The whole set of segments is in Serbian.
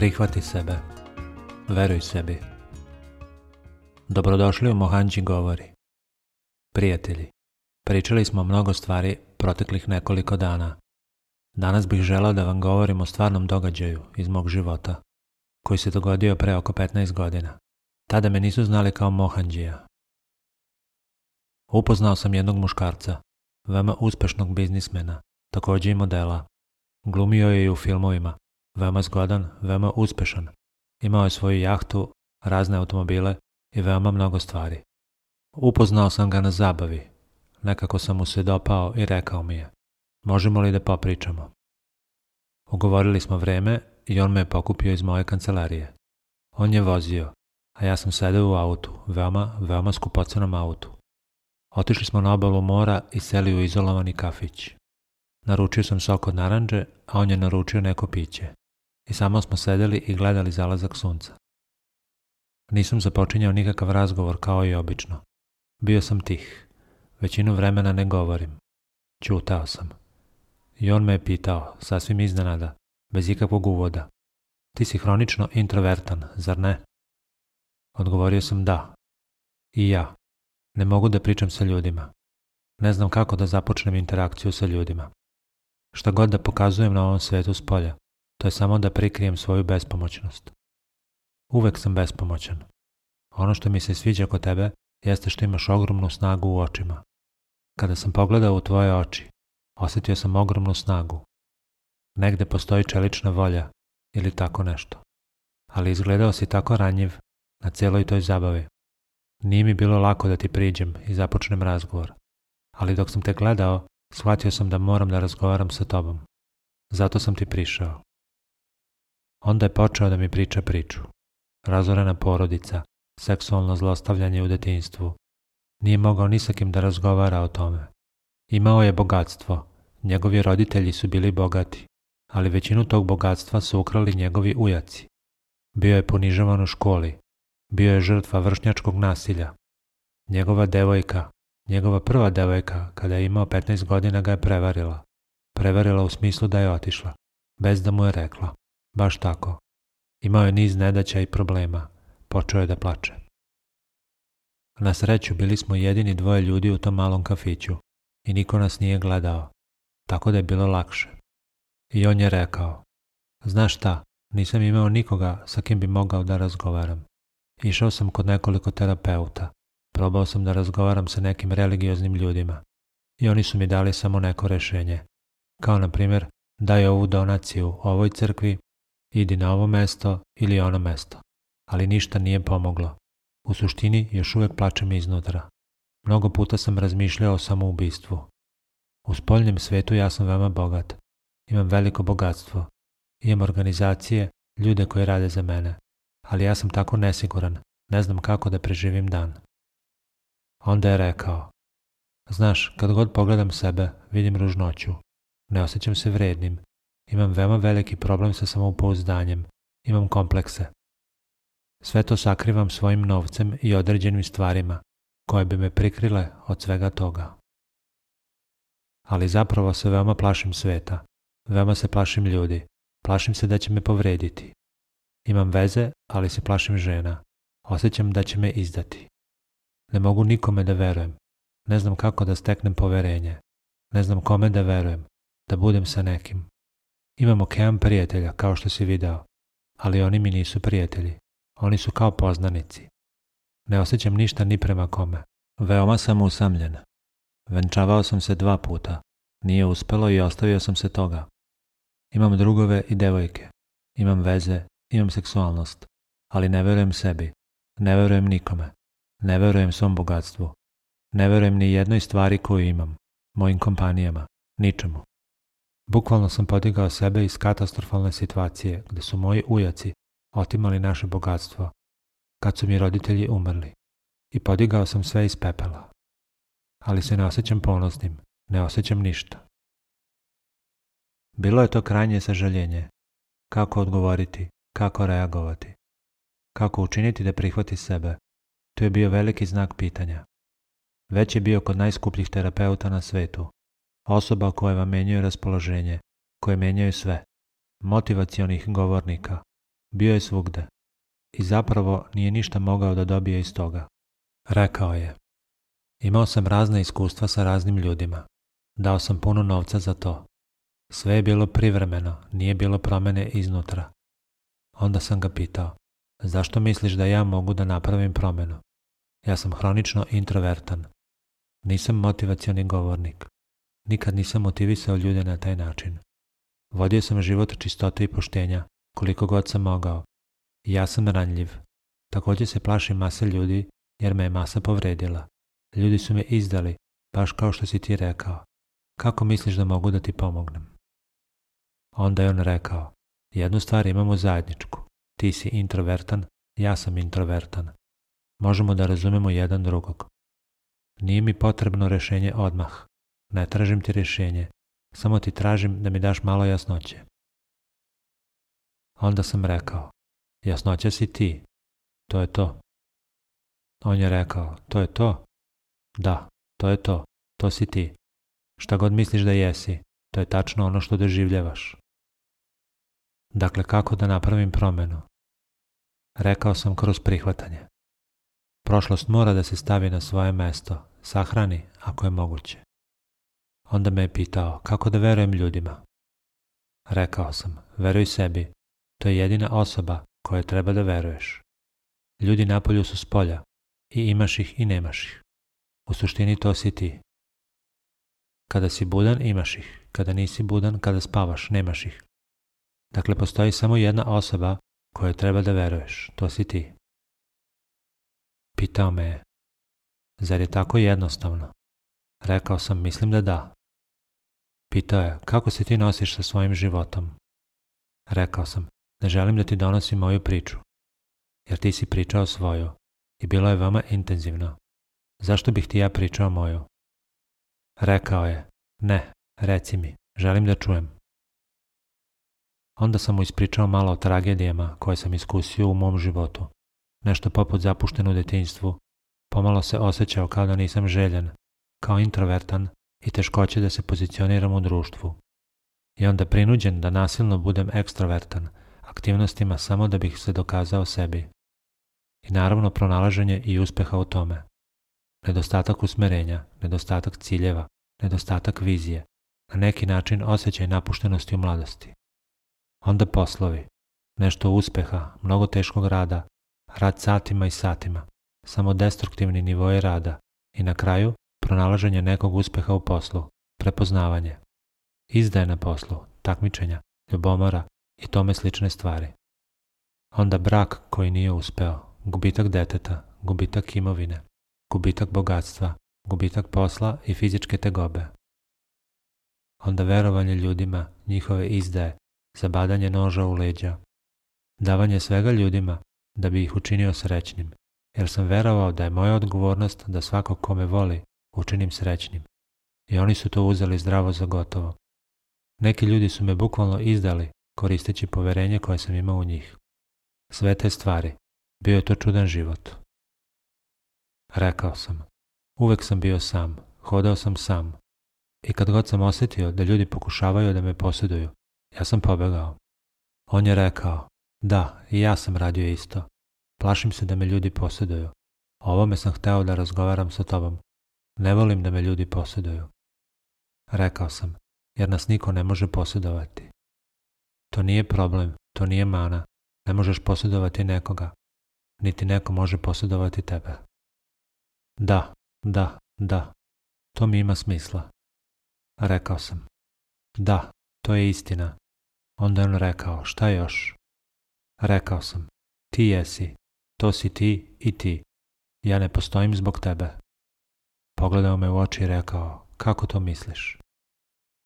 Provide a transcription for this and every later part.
Prihvati sebe. Veruj sebi. Dobrodošli u Mohanđi govori. Prijatelji, pričali smo mnogo stvari proteklih nekoliko dana. Danas bih želeo da vam govorim o stvarnom događaju iz mog života, koji se dogodio pre oko 15 godina. Tada me nisu znali kao Mohanđija. Upoznao sam jednog muškarca, veoma uspešnog biznismena, također i modela. Glumio je i u filmovima, veoma zgodan, veoma uspešan. Imao je svoju jahtu, razne automobile i veoma mnogo stvari. Upoznao sam ga na zabavi. Nekako sam mu se dopao i rekao mi je: možemo li da popričamo? Ugovorili smo vreme i on me je pokupio iz moje kancelarije. On je vozio, a ja sam sedeo u autu, veoma skupocenom autu. Otišli smo na obalu mora i seli u izolovani kafić. Naručio sam sok od narandže, a on je naručio neko piće. I samo smo sedeli i gledali zalazak sunca. Nisam započinjao nikakav razgovor kao i obično. Bio sam tih. Većinu vremena ne govorim. Ćutao sam. I on me je pitao, sasvim iznenada, bez ikakvog uvoda: ti si hronično introvertan, zar ne? Odgovorio sam da. I ja. Ne mogu da pričam sa ljudima. Ne znam kako da započnem interakciju sa ljudima. Šta god da pokazujem na ovom svetu spolja, to je samo da prikrijem svoju bespomoćnost. Uvek sam bespomoćan. Ono što mi se sviđa kod tebe jeste što imaš ogromnu snagu u očima. Kada sam pogledao u tvoje oči, osjetio sam ogromnu snagu. Negde postoji čelična volja ili tako nešto. Ali izgledao si tako ranjiv na cijeloj toj zabavi. Nije mi bilo lako da ti priđem i započnem razgovor. Ali dok sam te gledao, shvatio sam da moram da razgovaram sa tobom. Zato sam ti prišao. Onda je počeo da mi priča priču. Razorena porodica, seksualno zlostavljanje u detinjstvu. Nije mogao ni sa kim da razgovara o tome. Imao je bogatstvo. Njegovi roditelji su bili bogati, ali većinu tog bogatstva su ukrali njegovi ujaci. Bio je ponižavan u školi. Bio je žrtva vršnjačkog nasilja. Njegova prva devojka, kada je imao 15 godina, ga je prevarila. Prevarila u smislu da je otišla, bez da mu je rekla. Baš tako. Imao je niz nedaća i problema. Počeo je da plače. Na sreću bili smo jedini dvoje ljudi u tom malom kafiću i niko nas nije gledao, tako da je bilo lakše. I on je rekao: znaš šta, nisam imao nikoga sa kim bi mogao da razgovaram. Išao sam kod nekoliko terapeuta. Probao sam da razgovaram sa nekim religioznim ljudima. I oni su mi dali samo neko rešenje. Kao na primjer, daj ovu donaciju ovoj crkvi, idi na ovo mesto ili ono mesto. Ali ništa nije pomoglo. U suštini još uvijek plačem iznutra. Mnogo puta sam razmišljao o samoubistvu. U spoljnom svetu ja sam veoma bogat. Imam veliko bogatstvo. Imam organizacije, ljude koji rade za mene. Ali ja sam tako nesiguran, ne znam kako da preživim dan. Onda je rekao: znaš, kad god pogledam sebe, vidim ružnoću. Ne osjećam se vrednim. Imam veoma veliki problem sa samopouzdanjem. Imam komplekse. Sve to sakrivam svojim novcem i određenim stvarima, koje bi me prikrile od svega toga. Ali zapravo se veoma plašim sveta. Veoma se plašim ljudi. Plašim se da će me povrediti. Imam veze, ali se plašim žena. Osjećam da će me izdati. Ne mogu nikome da verujem. Ne znam kako da steknem poverenje. Ne znam kome da verujem. Da budem sa nekim. Imam okean prijatelja, kao što si video. Ali oni mi nisu prijatelji. Oni su kao poznanici. Ne osjećam ništa ni prema kome. Veoma sam usamljen. Venčavao sam se 2 puta. Nije uspelo i ostavio sam se toga. Imam drugove i devojke. Imam veze, imam seksualnost. Ali ne verujem sebi. Ne verujem nikome. Ne verujem svom bogatstvu. Ne verujem ni jednoj stvari koju imam. Mojim kompanijama. Ničemu. Bukvalno sam podigao sebe iz katastrofalne situacije gde su moji ujaci otimali naše bogatstvo kad su mi roditelji umrli. I podigao sam sve iz pepela. Ali se ne osjećam ponosnim. Ne osjećam ništa. Bilo je to krajnje sažaljenje. Kako odgovoriti? Kako reagovati? Kako učiniti da prihvati sebe? To je bio veliki znak pitanja. Već je bio kod najskupljih terapeuta na svetu. Osoba koje vam menjaju raspoloženje, koje menjaju sve. Motivacionih govornika, Bio je svugde. I zapravo nije ništa mogao da dobije iz toga. Rekao je: imao sam razna iskustva sa raznim ljudima. Dao sam puno novca za to. Sve je bilo privremeno, nije bilo promene iznutra. Onda sam ga pitao: zašto misliš da ja mogu da napravim promenu? Ja sam hronično introvertan. Nisam motivacioni govornik. Nikad nisam motivisao ljude na taj način. Vodio sam život čistote i poštenja, koliko god sam mogao. I ja sam ranljiv. Također se plašim mase ljudi, jer me je masa povredila. Ljudi su me izdali, baš kao što si ti rekao. Kako misliš da mogu da ti pomognem? Onda je on rekao: jednu stvar imamo zajedničku. Ti si introvertan, ja sam introvertan. Možemo da razumemo jedan drugog. Nije mi potrebno rješenje odmah. Ne tražim ti rješenje. Samo ti tražim da mi daš malo jasnoće. Onda sam rekao: jasnoća si ti. To je to. On je rekao: to je to? Da, to je to. To si ti. Šta god misliš da jesi, to je tačno ono što doživljavaš. Dakle, kako da napravim promjenu? Rekao sam: kroz prihvatanje. Prošlost mora da se stavi na svoje mesto, sahrani ako je moguće. Onda me je pitao: kako da verujem ljudima? Rekao sam: veruj sebi. To je jedina osoba koje treba da veruješ. Ljudi napolju su spolja, i imaš ih i nemaš ih. U suštini to si ti. Kada si budan, imaš ih. Kada nisi budan, kada spavaš, nemaš ih. Dakle, postoji samo jedna osoba kojoj treba da veruješ. To si ti. Pitao me je: zar je tako jednostavno? Rekao sam: mislim da da. Pitao je: kako se ti nosiš sa svojim životom? Rekao sam: ne želim da ti donosim moju priču, jer ti si pričao svoju i bilo je veoma intenzivno. Zašto bih ti ja pričao moju? Rekao je: ne, reci mi, želim da čujem. Onda sam mu ispričao malo o tragedijama koje sam iskusio u mom životu. Nešto poput zapušten u detinjstvu. Pomalo se osjećao kao da nisam željen, kao introvertan i teškoće da se pozicioniram u društvu. I onda prinuđen da nasilno budem ekstrovertan, aktivnostima samo da bih se dokazao sebi. I naravno pronalaženje i uspeha u tome. Nedostatak usmerenja, nedostatak ciljeva, nedostatak vizije, na neki način osjećaj napuštenosti u mladosti. Onda poslovi, nešto uspeha, mnogo teškog rada, rad satima i satima, samo destruktivni nivoi rada i na kraju pronalaženje nekog uspeha u poslu, prepoznavanje, izdaje na poslu, takmičenja, ljubomora i tome slične stvari. Onda brak koji nije uspeo, gubitak deteta, gubitak imovine, gubitak bogatstva, gubitak posla i fizičke tegobe. Onda verovanje ljudima, njihove izdaje, zabadanje noža u leđa, davanje svega ljudima da bi ih učinio srećnim, jer sam verovao da je moja odgovornost da svakog ko me voli učinim srećnim. I oni su to uzeli zdravo za gotovo. Neki ljudi su me bukvalno izdali koristeći poverenje koje sam imao u njih. Sve te stvari, bio je to čudan život. Rekao sam: uvek sam bio sam, hodao sam sam. I kad god sam osjetio da ljudi pokušavaju da me posjeduju, ja sam pobegao. On je rekao: da, i ja sam radio isto. Plašim se da me ljudi posjeduju. O ovome sam hteo da razgovaram sa tobom. Ne volim da me ljudi posjeduju. Rekao sam: jer nas niko ne može posjedovati. To nije problem, to nije mana. Ne možeš posjedovati nekoga, niti neko može posjedovati tebe. Da, to mi ima smisla. Rekao sam: da, to je istina. Onda je on rekao: šta još? Rekao sam: ti jesi, to si ti i ti. Ja ne postojim zbog tebe. Pogledao me u oči i rekao: kako to misliš?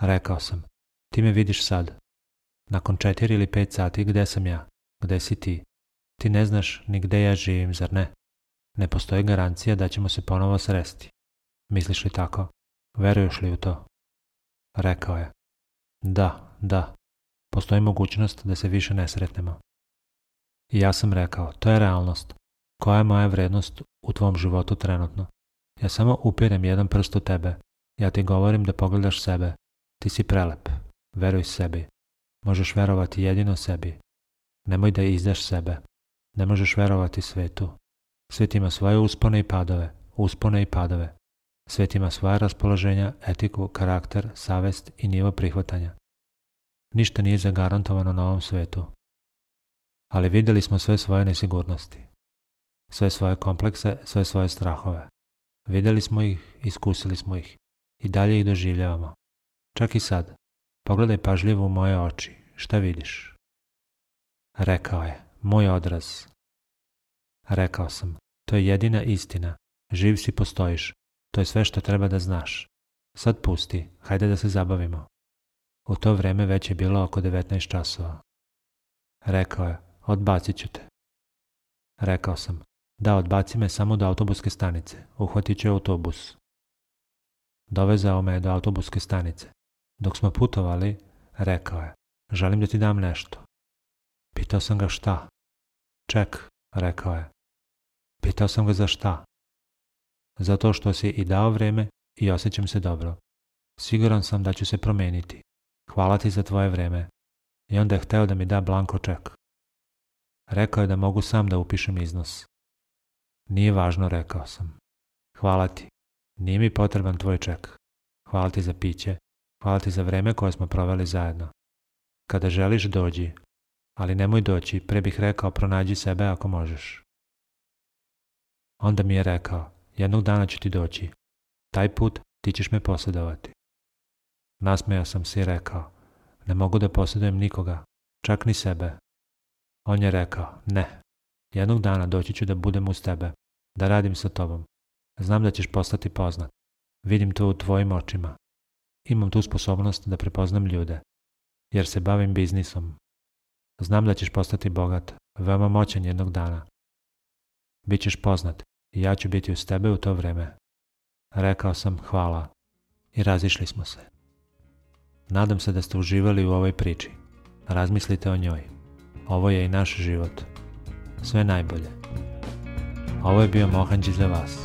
Rekao sam: ti me vidiš sad. Nakon 4 ili 5 sati gde sam ja? Gde si ti? Ti ne znaš ni gde ja živim, zar ne? Ne postoji garancija da ćemo se ponovo sresti. Misliš li tako? Veruješ li u to? Rekao je: da. Postoji mogućnost da se više ne sretnemo. I ja sam rekao: to je realnost. Koja je moja vrednost u tvom životu trenutno? Ja samo upirem jedan prst u tebe. Ja ti govorim da pogledaš sebe. Ti si prelep. Veruj sebi. Možeš verovati jedino sebi. Nemoj da izdaš sebe. Ne možeš verovati svetu. Svet ima svoje uspone i padove, uspone i padove. Svet ima svoja raspoloženja, etiku, karakter, savest i nivo prihvatanja. Ništa nije zagarantovano na ovom svetu. Ali vidjeli smo sve svoje nesigurnosti, sve svoje komplekse, sve svoje strahove. Vidjeli smo ih, iskusili smo ih i dalje ih doživljavamo. Čak i sad. Pogledaj pažljivo u moje oči. Šta vidiš? Rekao je, moj odraz. Rekao sam, to je jedina istina. Živ si, postojiš. To je sve što treba da znaš. Sad pusti, hajde da se zabavimo. U to vreme već je bilo oko 19 časova. Rekao je, odbacit ću te. Rekao sam, da, odbaci me samo do autobuske stanice. Uhvatit ću autobus. Dovezao me do autobuske stanice. Dok smo putovali, rekao je, želim da ti dam nešto. Pitao sam ga šta? Ček, rekao je. Pitao sam ga za šta? Zato što si i dao vreme i osjećam se dobro. Siguran sam da ću se promeniti. Hvala ti za tvoje vreme. I onda je hteo da mi da blanko ček. Rekao je da mogu sam da upišem iznos. Nije važno, rekao sam. Hvala ti. Nije mi potreban tvoj ček. Hvala ti za piće. Hvala ti za vreme koje smo proveli zajedno. Kada želiš, dođi. Ali nemoj doći, pre bih rekao pronađi sebe ako možeš. Onda mi je rekao, jednog dana ću ti doći. Taj put ti ćeš me posjedovati. Nasmejao sam se i rekao, ne mogu da posjedujem nikoga, čak ni sebe. On je rekao, ne, jednog dana doći ću da budem uz tebe, da radim sa tobom. Znam da ćeš postati poznat. Vidim to u tvojim očima. Imam tu sposobnost da prepoznam ljude, jer se bavim biznisom. Znam da ćeš postati bogat, veoma moćan jednog dana. Bićeš poznat i ja ću biti uz tebe u to vreme. Rekao sam hvala i razišli smo se. Nadam se da ste uživali u ovoj priči. Razmislite o njoj. Ovo je i naš život. Sve najbolje. Ovo je bio Mohanđi za vas.